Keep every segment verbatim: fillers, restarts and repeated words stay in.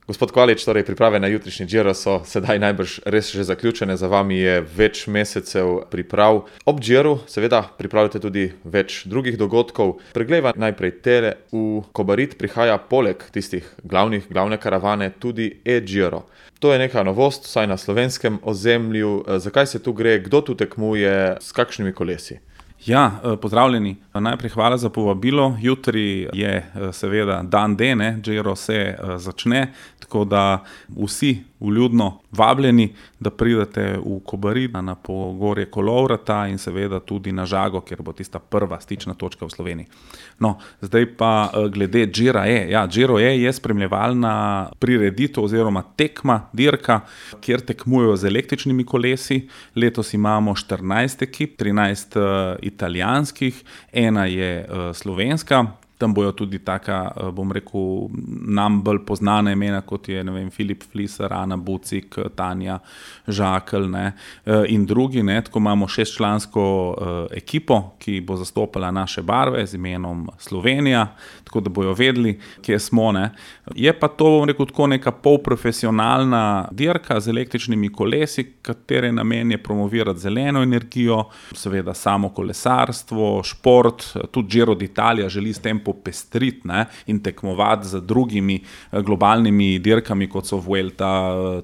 Gospod Kvalič, torej priprave na jutrišnji Giro so sedaj najbrž res že zaključene, za vami je več mesecev priprav. Ob Giru seveda pripravljate tudi več drugih dogodkov. Preglejva najprej tele. V Kobarid prihaja poleg tistih glavnih, glavne karavane tudi e-Giro. To je neka novost, vsaj na slovenskem ozemlju. Zakaj se tu gre, kdo tu tekmuje, s kakšnimi kolesi? Ja, pozdravljeni. Najprej hvala za povabilo. Jutri je seveda dan D, ne, Giro se začne, tako da vsi vljudno vabljeni, da pridete v Kobarid na pogorje Kolovrata in seveda tudi na Žago, kjer bo tista prva stična točka v Sloveniji. No, zdaj pa glede Gira E. Ja, Giro E je spremljevalna prireditev oziroma tekma, dirka, kjer tekmujejo z električnimi kolesi. Letos imamo štirinajst ekip, trinajst italijanskih, ena je slovenska. Tam bojo tudi taka, bom rekel, nam bolj poznana imena, kot je, ne vem, Filip Fliser, Ana Bucik, Tanja Žakelj, ne, in drugi, ne, tako imamo šestčlansko ekipo, ki bo zastopala naše barve z imenom Slovenija, tako da bojo vedeli, kje smo, ne. Je pa to, bom rekel, tako neka polprofesionalna dirka z električnimi kolesi, katere namen je promovirati zeleno energijo, seveda samo kolesarstvo, šport, tudi Giro d'Italia želi s tem popestriti, ne, in tekmovati z drugimi globalnimi dirkami, kot so Vuelta,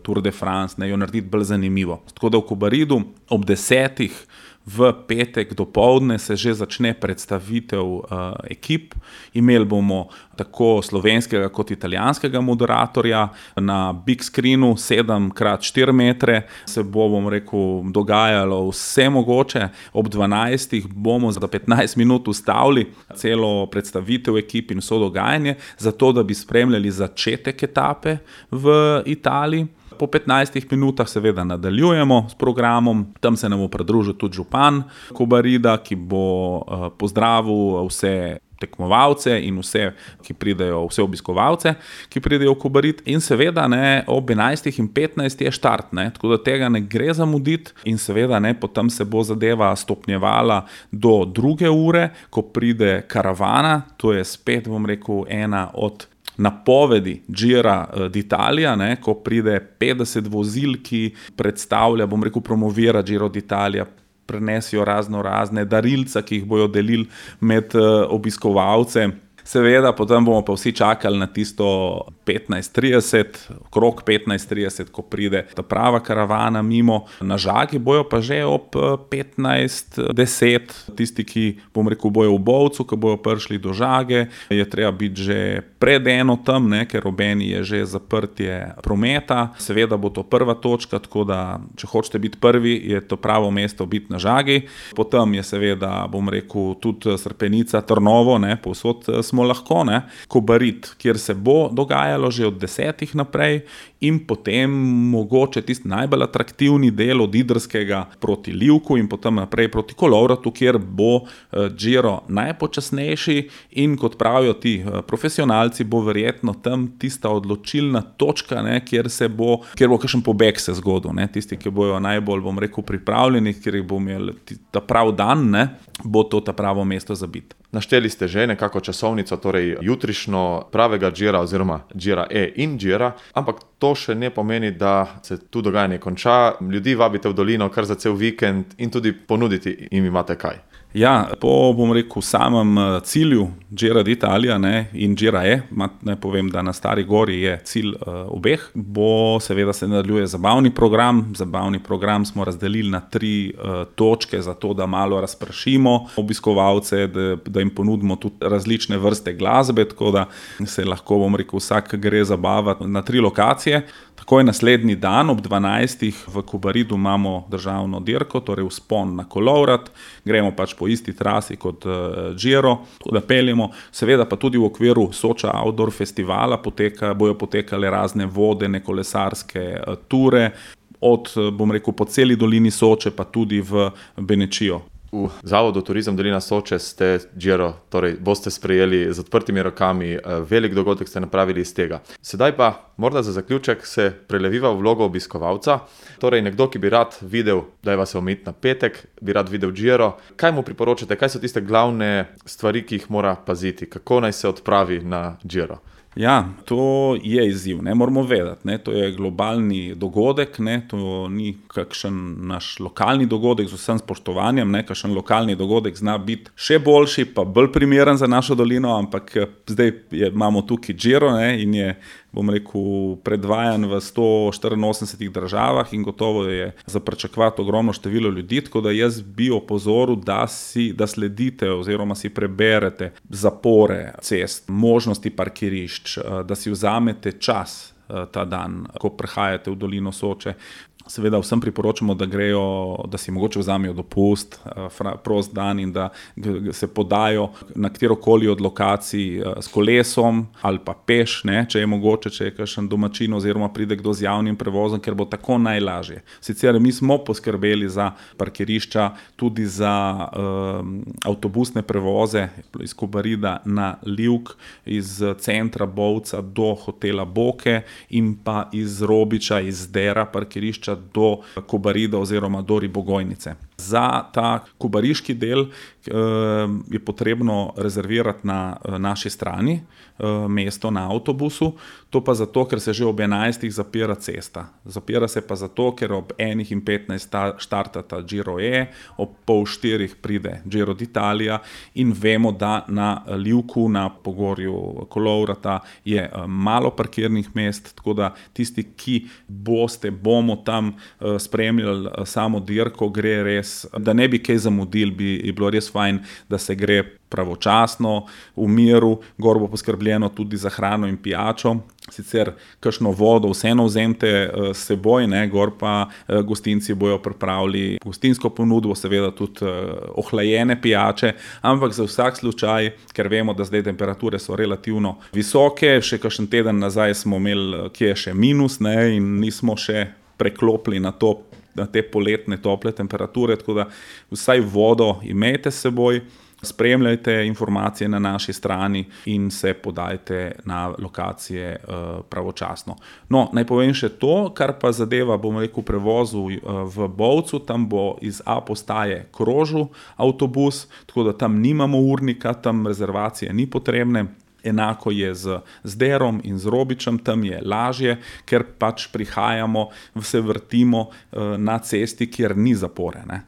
Tour de France, ne, jo narediti bolj zanimivo. Tako da v Kobaridu ob desetih v petek dopoldne se že začne predstavitev uh, ekip. Imeli bomo tako slovenskega kot italijanskega moderatorja. Na big screenu sedem krat štiri metre se bo, bom rekel, dogajalo vse mogoče. Ob dvanajstih bomo za petnajst minut ustavili celo predstavitev ekip in vso dogajanje, zato da bi spremljali začetek etape v Italiji. Po petnajstih minutah seveda nadaljujemo s programom, tam se nam bo pridružil tudi župan Kobarida, ki bo pozdravil vse tekmovalce in vse, ki pridejo, vse obiskovalce, ki pridejo v Kobarid, in seveda, ne, ob enajstih in petnajst je štart, ne, tako da tega ne gre zamuditi in seveda, ne, potem se bo zadeva stopnjevala do druge ure, ko pride karavana, to je spet, bom rekel, ena od napovedi Gira d'Italia, ne, ko pride petdeset vozil, ki predstavlja, bom rekel, promovira Giro d'Italia, prenesijo razno razne darilca, ki jih bojo delili med obiskovalce. Seveda, potem bomo pa vsi čakali na tisto petnajst trideset, krog petnajst trideset, ko pride ta prava karavana mimo. Na Žagi bojo pa že ob petnajst deset, tisti, ki, bom rekel, bojo v Bovcu, ko bojo prišli do Žage, je treba biti že pred eno tam, ne, ker ob eni je že zaprtje prometa. Seveda bo to prva točka, tako da, če hočete biti prvi, je to pravo mesto biti na Žagi. Potem je seveda, bom rekel, tudi Srpenica, Trnovo, ne, povsod smo lahko, ne, Kobarid, kjer se bo dogajalo že od desetih naprej, in potem mogoče tisti najbolj atraktivni del od Idrskega proti Livku in potem naprej proti Kolovratu, kjer bo Giro najpočasnejši in, kot pravijo ti profesionalci, bo verjetno tam tista odločilna točka, ne, kjer se bo, kjer bo kakšen pobeg se zgodil, ne, tisti, ki bojo najbolj, bom rekel, pripravljeni, kjer jih bo imel ta prav dan, ne, bo to ta pravo mesto za biti. Našteli ste že nekako časovnico, torej jutrišnjo pravega Gira oziroma Gira E in Gira, ampak to še ne pomeni, da se tu dogajanje konča. Ljudi vabite v dolino kar za cel vikend in tudi ponuditi jim imate kaj. Ja, po, bom rekel, samem cilju Gira d'Italia, ne, in Gira E, naj povem, da na Stari Gori je cilj uh, obeh, bo seveda se nadaljuje zabavni program. Zabavni program smo razdelili na tri uh, točke, zato da malo razpršimo obiskovalce, da, da jim ponudimo tudi različne vrste glasbe, tako da se lahko, bom rekel, vsak gre zabavati na tri lokacije. Takoj naslednji dan ob dvanajstih v Kobaridu imamo državno dirko, torej vzpon na Kolovrat, gremo pač po isti trasi kot uh, Giro, da peljemo, seveda pa tudi v okviru Soča Outdoor festivala poteka, bojo potekale razne vodene kolesarske uh, ture, od, bom rekel, po celi dolini Soče pa tudi v Benečijo. V Zavodu Turizem Dolina Soče ste Giro, torej boste sprejeli z odprtimi rokami, velik dogodek ste napravili iz tega. Sedaj pa morda za zaključek se preleviva v vlogo obiskovalca, torej nekdo, ki bi rad videl, dajva se omejiti na petek, bi rad videl Giro. Kaj mu priporočate, kaj so tiste glavne stvari, ki jih mora paziti, kako naj se odpravi na Giro? Ja, to je izziv, ne moramo vedeti, ne, to je globalni dogodek, ne, to ni kakšen naš lokalni dogodek z vsem spoštovanjem, ne, kakšen lokalni dogodek zna biti še boljši, pa bolj primeren za našo dolino, ampak zdaj je, imamo tukaj Giro, ne, in je, bom rekel, predvajan v sto štiriinosemdesetih državah in gotovo je za pričakovati ogromno število ljudi, tako da jaz bi opozoril, da si, da sledite oziroma si preberete zapore cest, možnosti parkirišč, da si vzamete čas ta dan, ko prihajate v dolino Soče. Seveda vsem priporočamo, da grejo, da si mogoče vzamejo dopust, prost dan in da se podajo na katerokoli od lokacij s kolesom ali pa peš, ne, če je mogoče, če je kakšen domačin oziroma pride kdo z javnim prevozom, ker bo tako najlažje. Sicer mi smo poskrbeli za parkirišča, tudi za um, avtobusne prevoze iz Kobarida na Livk, iz centra Bovca do hotela Boke in pa iz Robiča, iz Dera parkirišča do Kobarida oziroma do Ribogojnice. Za ta kobariški del eh, je potrebno rezervirati na eh, naši strani eh, mesto na avtobusu, to pa zato, ker se že ob enajstih zapira cesta. Zapira se pa zato, ker ob enih in petnajst štartata Giro E, ob pol štirih pride Giro d'Italia in vemo, da na Livku, na pogorju Kolovrata je eh, malo parkirnih mest, tako da tisti, ki boste, bomo tam eh, spremljali eh, samo dirko, gre res, da ne bi kaj zamudili, bi je bilo res fajn, da se gre pravočasno, v miru, gor bo poskrbljeno tudi za hrano in pijačo, sicer kakšno vodo vseeno vzemite s seboj, ne, gor pa gostinci bojo pripravili gostinsko ponudbo, seveda tudi ohlajene pijače, ampak za vsak slučaj, ker vemo, da zdaj temperature so relativno visoke, še kakšen teden nazaj smo imeli, kje je še minus, ne, in nismo še preklopili na to, na te poletne tople temperature, tako da vsaj vodo imejte s seboj, spremljajte informacije na naši strani in se podajte na lokacije uh, pravočasno. No, naj povem še to, kar pa zadeva, bom rekel, prevozu uh, v Bovcu, tam bo iz A postaje krožil avtobus, tako da tam nimamo urnika, tam rezervacije ni potrebne. Enako je z, z Derom in z Robičem, tam je lažje, ker pač prihajamo, se vrtimo uh, na cesti, kjer ni zapore, ne.